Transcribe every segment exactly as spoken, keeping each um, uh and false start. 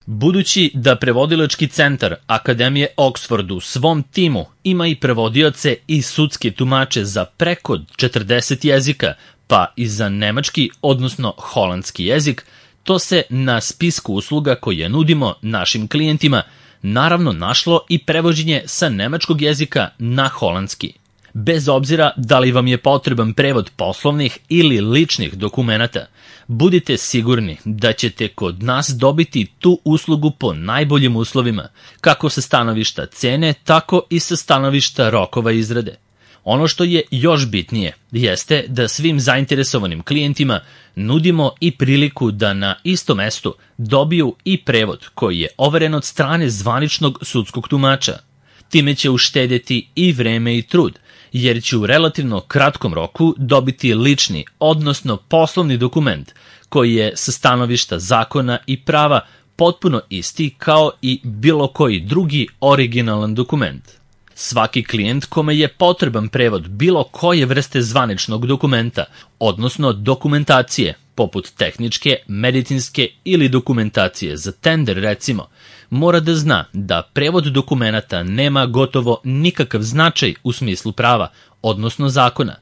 Budući da prevodilački centar Akademije Oxford u svom timu ima i prevodioce i sudske tumače za preko četrdeset jezika, pa i za nemački, odnosno holandski jezik, to se na spisku usluga koje nudimo našim klijentima naravno našlo i prevođenje sa nemačkog jezika na holandski. Bez obzira da li vam je potreban prevod poslovnih ili ličnih dokumenata, budite sigurni da ćete kod nas dobiti tu uslugu po najboljim uslovima, kako sa stanovišta cene, tako i sa stanovišta rokova izrade. Ono što je još bitnije jeste da svim zainteresovanim klijentima nudimo i priliku da na istom mestu dobiju i prevod koji je overen od strane zvaničnog sudskog tumača. Time će uštedjeti i vreme i trud, jer će u relativno kratkom roku dobiti lični, odnosno poslovni dokument koji je sa stanovišta zakona i prava potpuno isti kao i bilo koji drugi originalan dokument. Svaki klijent kome je potreban prevod bilo koje vrste zvaničnog dokumenta, odnosno dokumentacije, poput tehničke, medicinske ili dokumentacije za tender recimo, mora da zna da prevod dokumenata nema gotovo nikakav značaj u smislu prava, odnosno zakona.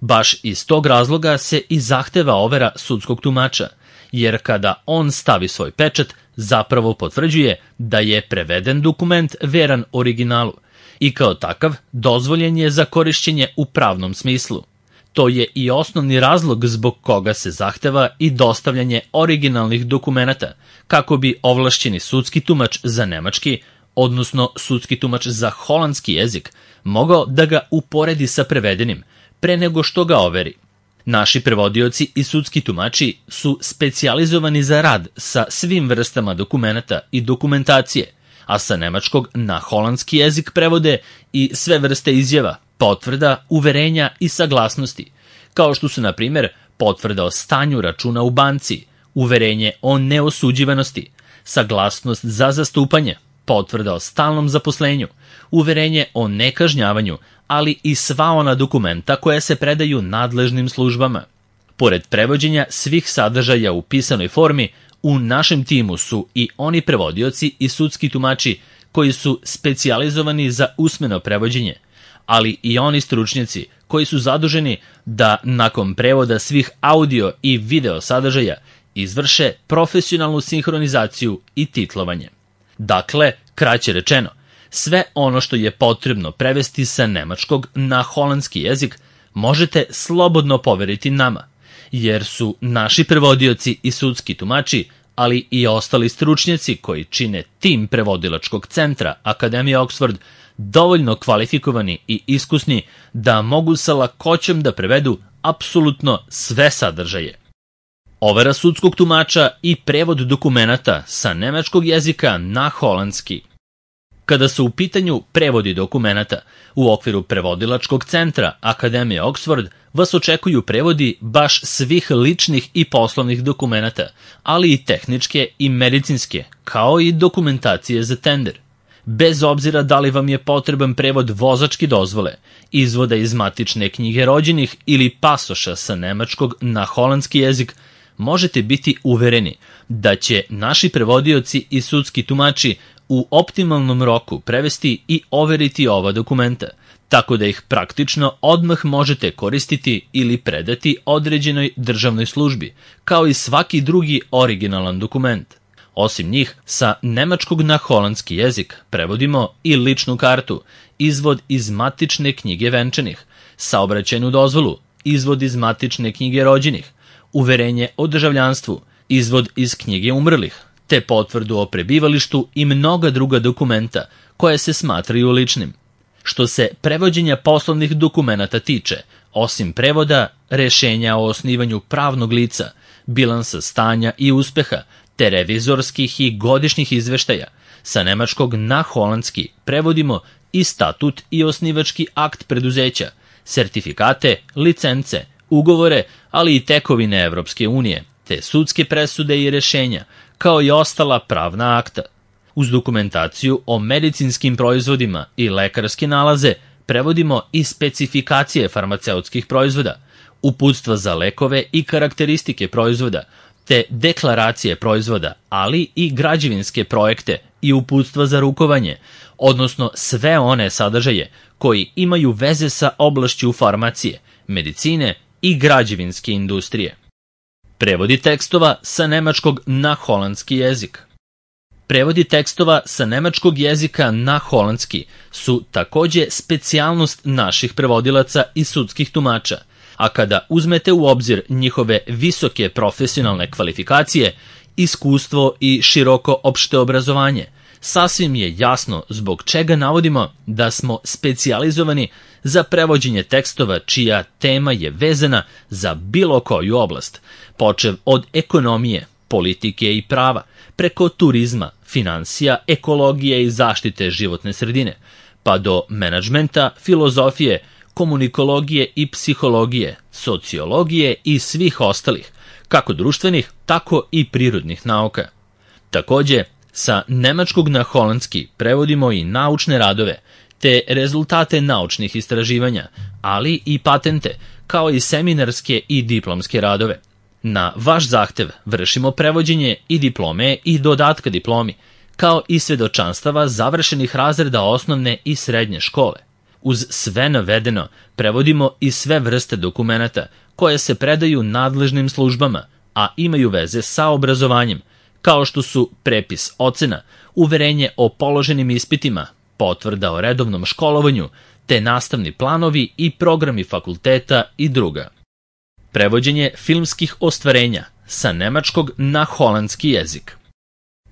Baš iz tog razloga se i zahteva overa sudskog tumača, jer kada on stavi svoj pečat, zapravo potvrđuje da je preveden dokument veran originalu i kao takav dozvoljen je za korišćenje u pravnom smislu. To je i osnovni razlog zbog koga se zahteva i dostavljanje originalnih dokumenata, kako bi ovlašćeni sudski tumač za nemački, odnosno sudski tumač za holandski jezik, mogao da ga uporedi sa prevedenim, pre nego što ga overi. Naši prevodioci i sudski tumači su specijalizovani za rad sa svim vrstama dokumenata i dokumentacije, a sa nemačkog na holandski jezik prevode i sve vrste izjava, potvrda, uverenja i saglasnosti, kao što su, na primjer, potvrda o stanju računa u banci, uverenje o neosuđivanosti, saglasnost za zastupanje, potvrda o stalnom zaposlenju, uverenje o nekažnjavanju, ali i sva ona dokumenta koja se predaju nadležnim službama. Pored prevođenja svih sadržaja u pisanoj formi, u našem timu su i oni prevodioci i sudski tumači koji su specijalizovani za usmeno prevođenje, ali i oni stručnjaci koji su zaduženi da nakon prevoda svih audio i video sadržaja izvrše profesionalnu sinhronizaciju i titlovanje. Dakle, kraće rečeno, sve ono što je potrebno prevesti sa nemačkog na holandski jezik možete slobodno poveriti nama, jer su naši prevodioci i sudski tumači, ali i ostali stručnjaci koji čine tim prevodilačkog centra Akademije Oxford, dovoljno kvalifikovani i iskusni da mogu sa lakoćom da prevedu apsolutno sve sadržaje. Overa sudskog tumača i prevod dokumenata sa nemačkog jezika na holandski. Kada su u pitanju prevodi dokumenata, u okviru prevodilačkog centra Akademije Oxford vas očekuju prevodi baš svih ličnih i poslovnih dokumenata, ali i tehničke i medicinske, kao i dokumentacije za tender. Bez obzira da li vam je potreban prevod vozačke dozvole, izvoda iz matične knjige rođenih ili pasoša sa nemačkog na holandski jezik, možete biti uvereni da će naši prevodioci i sudski tumači u optimalnom roku prevesti i overiti ova dokumenta, tako da ih praktično odmah možete koristiti ili predati određenoj državnoj službi, kao i svaki drugi originalan dokument. Osim njih, sa nemačkog na holandski jezik prevodimo i ličnu kartu, izvod iz matične knjige venčanih, saobraćajnu dozvolu, izvod iz matične knjige rođenih, uverenje o državljanstvu, izvod iz knjige umrlih, te potvrdu o prebivalištu i mnoga druga dokumenta koje se smatraju ličnim. Što se prevođenja poslovnih dokumenata tiče, osim prevoda, rešenja o osnivanju pravnog lica, bilansa stanja i uspeha, te revizorskih i godišnjih izveštaja, sa nemačkog na holandski prevodimo i statut i osnivački akt preduzeća, sertifikate, licence, ugovore, ali i tekovine Evropske unije, te sudske presude i rešenja, kao i ostala pravna akta. Uz dokumentaciju o medicinskim proizvodima i lekarske nalaze prevodimo i specifikacije farmaceutskih proizvoda, uputstva za lekove i karakteristike proizvoda, te deklaracije proizvoda, ali i građevinske projekte i uputstva za rukovanje, odnosno sve one sadržaje koji imaju veze sa oblašću farmacije, medicine i građevinske industrije. Prevodi tekstova sa nemačkog na holandski jezik. Prevodi tekstova sa nemačkog jezika na holandski su takođe specijalnost naših prevodilaca i sudskih tumača, a kada uzmete u obzir njihove visoke profesionalne kvalifikacije, iskustvo i široko opšte obrazovanje, sasvim je jasno zbog čega navodimo da smo specijalizovani za prevođenje tekstova čija tema je vezana za bilo koju oblast, počev od ekonomije, politike i prava, preko turizma, finansija, ekologije i zaštite životne sredine, pa do menadžmenta, filozofije, komunikologije i psihologije, sociologije i svih ostalih, kako društvenih, tako i prirodnih nauka. Takođe, sa nemačkog na holandski prevodimo i naučne radove, te rezultate naučnih istraživanja, ali i patente, kao i seminarske i diplomske radove. Na vaš zahtev vršimo prevođenje i diplome i dodatka diplomi, kao i svedočanstava završenih razreda osnovne i srednje škole. Uz sve navedeno, prevodimo i sve vrste dokumenata koje se predaju nadležnim službama, a imaju veze sa obrazovanjem, kao što su prepis ocena, uverenje o položenim ispitima, potvrda o redovnom školovanju, te nastavni planovi i programi fakulteta i druga. Prevođenje filmskih ostvarenja sa nemačkog na holandski jezik.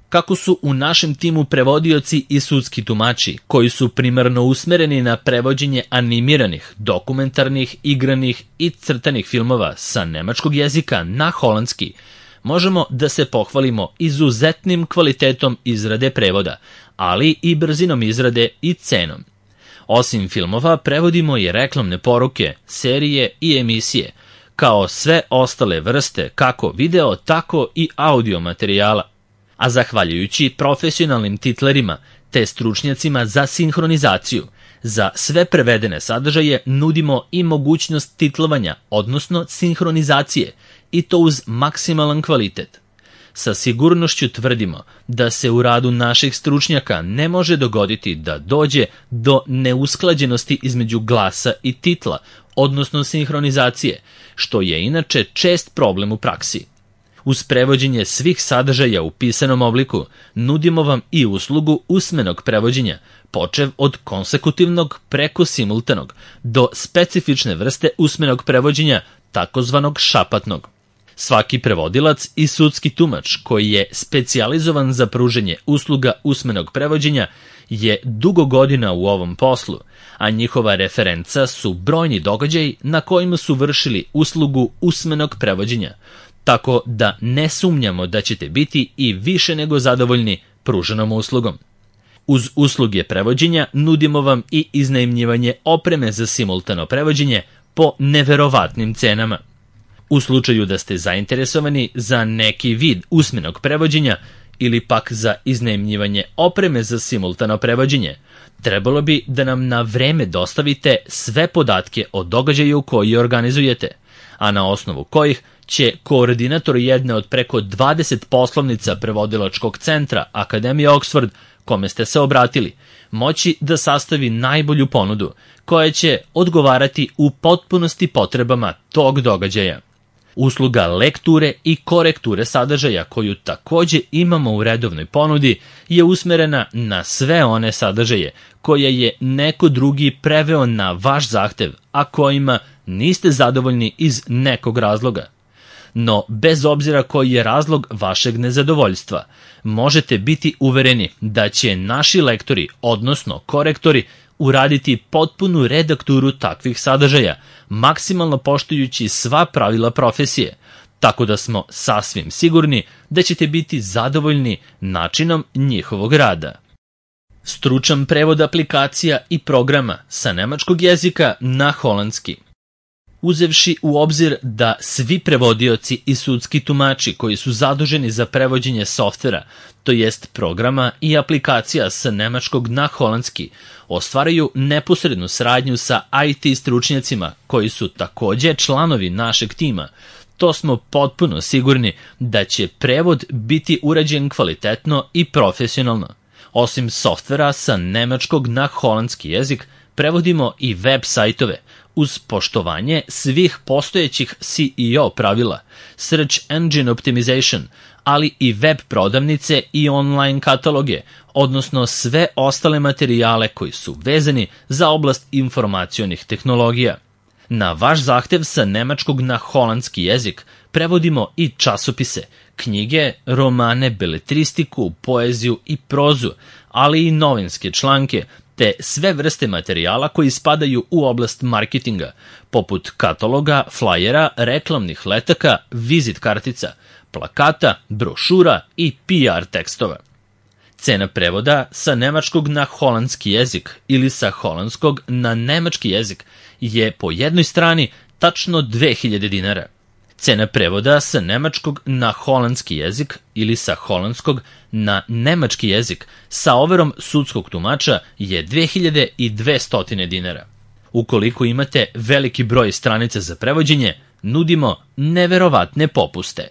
Kako su u našem timu prevodioci i sudski tumači, koji su primarno usmereni na prevođenje animiranih, dokumentarnih, igranih i crtanih filmova sa nemačkog jezika na holandski, možemo da se pohvalimo izuzetnim kvalitetom izrade prevoda, ali i brzinom izrade i cenom. Osim filmova, prevodimo i reklamne poruke, serije i emisije, kao sve ostale vrste kako video, tako i audio materijala. A zahvaljujući profesionalnim titlerima te stručnjacima za sinhronizaciju, za sve prevedene sadržaje nudimo i mogućnost titlovanja, odnosno sinhronizacije, i to uz maksimalan kvalitet. Sa sigurnošću tvrdimo da se u radu naših stručnjaka ne može dogoditi da dođe do neusklađenosti između glasa i titla, odnosno sinhronizacije, što je inače čest problem u praksi. Uz prevođenje svih sadržaja u pisanom obliku, nudimo vam i uslugu usmenog prevođenja, počev od konsekutivnog preko simultanog, do specifične vrste usmenog prevođenja, takozvanog šapatnog. Svaki prevodilac i sudski tumač koji je specijalizovan za pruženje usluga usmenog prevođenja je dugo godina u ovom poslu, a njihova referenca su brojni događaji na kojima su vršili uslugu usmenog prevođenja, tako da ne sumnjamo da ćete biti i više nego zadovoljni pruženom uslugom. Uz usluge prevođenja nudimo vam i iznajmljivanje opreme za simultano prevođenje po neverovatnim cenama. U slučaju da ste zainteresovani za neki vid usmenog prevođenja ili pak za iznajmljivanje opreme za simultano prevođenje, trebalo bi da nam na vreme dostavite sve podatke o događaju koji organizujete, a na osnovu kojih će koordinator jedne od preko dvadeset poslovnica prevodilačkog centra Akademije Oxford, kome ste se obratili, moći da sastavi najbolju ponudu koja će odgovarati u potpunosti potrebama tog događaja. Usluga lekture i korekture sadržaja koju takođe imamo u redovnoj ponudi je usmerena na sve one sadržaje koje je neko drugi preveo na vaš zahtev, a kojima niste zadovoljni iz nekog razloga. No, bez obzira koji je razlog vašeg nezadovoljstva, možete biti uvereni da će naši lektori, odnosno korektori, uraditi potpunu redakturu takvih sadržaja, maksimalno poštujući sva pravila profesije, tako da smo sasvim sigurni da ćete biti zadovoljni načinom njihovog rada. Stručan prevod aplikacija i programa sa nemačkog jezika na holandski. Uzevši u obzir da svi prevodioci i sudski tumači koji su zaduženi za prevođenje softvera, to jest programa i aplikacija sa nemačkog na holandski, ostvaraju neposrednu saradnju sa I T stručnjacima koji su takođe članovi našeg tima, to smo potpuno sigurni da će prevod biti urađen kvalitetno i profesionalno. Osim softvera sa nemačkog na holandski jezik, prevodimo i web sajtove uz poštovanje svih postojećih S E O pravila, Search Engine Optimization, ali i web prodavnice i online kataloge, odnosno sve ostale materijale koji su vezani za oblast informacionih tehnologija. Na vaš zahtev sa nemačkog na holandski jezik prevodimo i časopise, knjige, romane, beletristiku, poeziju i prozu, ali i novinske članke, te sve vrste materijala koji spadaju u oblast marketinga, poput kataloga, flajera, reklamnih letaka, vizit kartica, plakata, brošura i P R tekstova. Cena prevoda sa nemačkog na holandski jezik ili sa holandskog na nemački jezik je po jednoj strani tačno dve hiljade dinara. Cena prevoda sa nemačkog na holandski jezik ili sa holandskog na nemački jezik sa overom sudskog tumača je dve hiljade dvesta dinara. Ukoliko imate veliki broj stranica za prevođenje, nudimo neverovatne popuste.